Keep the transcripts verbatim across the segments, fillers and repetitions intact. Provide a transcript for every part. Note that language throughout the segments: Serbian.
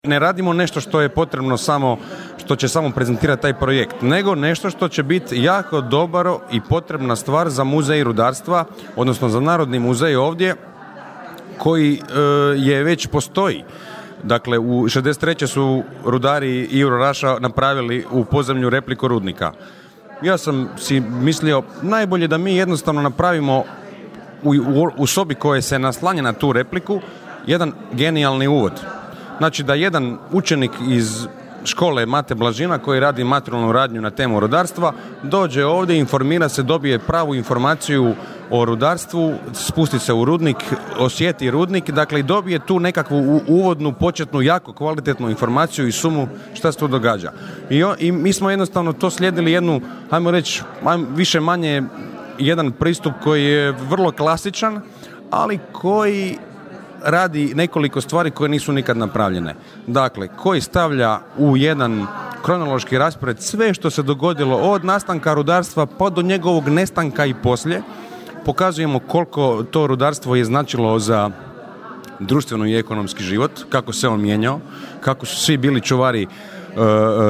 Ne radimo nešto što je potrebno samo, što će samo prezentirati taj projekt, nego nešto što će biti jako dobro i potrebna stvar za muzej rudarstva, odnosno za Narodni muzej ovdje, koji e, je već postoji. Dakle, u šezdeset treće su rudari Iro Raša napravili u podzemlju repliku rudnika. Ja sam si mislio, najbolje da mi jednostavno napravimo u, u, u sobi koja se naslanja na tu repliku jedan genijalni uvod. Znači da jedan učenik iz škole Mate Blažina koji radi materijalnu radnju na temu rudarstva dođe ovdje, informira se, dobije pravu informaciju o rudarstvu, spusti se u rudnik, osjeti rudnik, dakle i dobije tu nekakvu uvodnu, početnu, jako kvalitetnu informaciju i sumu šta se tu događa. I, o, i mi smo jednostavno to slijedili jednu, ajmo reći, više manje jedan pristup koji je vrlo klasičan, ali koji radi nekoliko stvari koje nisu nikad napravljene. Dakle, koji stavlja u jedan kronološki raspored sve što se dogodilo od nastanka rudarstva pa do njegovog nestanka i poslije. Pokazujemo koliko to rudarstvo je značilo za društveno i ekonomski život, kako se on mijenjao, kako su svi bili čuvari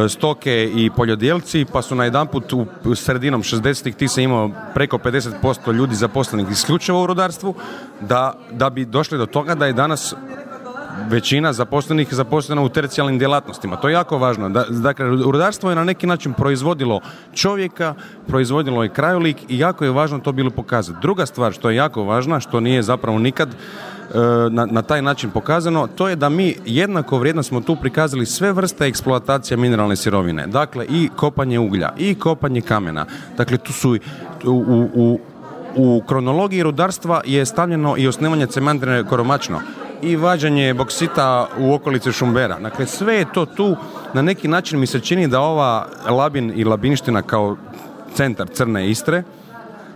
stoke i poljodjelci, pa su najedanput u sredinom šezdesetih ti se imao preko pedeset posto ljudi zaposlenih isključivo u rudarstvu, da, da bi došli do toga da je danas većina zaposlenih zaposlena u tercijalnim djelatnostima. To je jako važno. Da, dakle, rudarstvo je na neki način proizvodilo čovjeka, proizvodilo je krajolik i jako je važno to bilo pokazati. Druga stvar što je jako važna, što nije zapravo nikad Na, na taj način pokazano, to je da mi jednako vrijedno smo tu prikazali sve vrste eksploatacije mineralne sirovine. Dakle, i kopanje uglja, i kopanje kamena. Dakle, tu su u, u, u kronologiji rudarstva je stavljeno i osnivanje cementarne Koromačno i vađanje boksita u okolici Šumbera. Dakle, sve je to tu. Na neki način mi se čini da ova Labin i Labinština kao centar Crne Istre,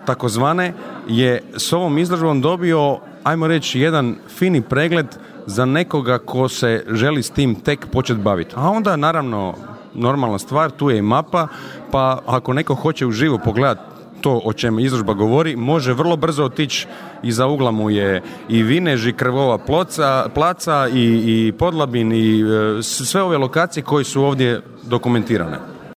takozvane, je s ovom izložbom dobio, ajmo reći, jedan fini pregled za nekoga ko se želi s tim tek početi baviti. A onda, naravno, normalna stvar, tu je i mapa, pa ako neko hoće uživo pogledati to o čem izložba govori, može vrlo brzo otići. Iza ugla mu je i Vinež, i Krvova ploca, placa, i, i Podlabin, i e, sve ove lokacije koje su ovdje dokumentirane.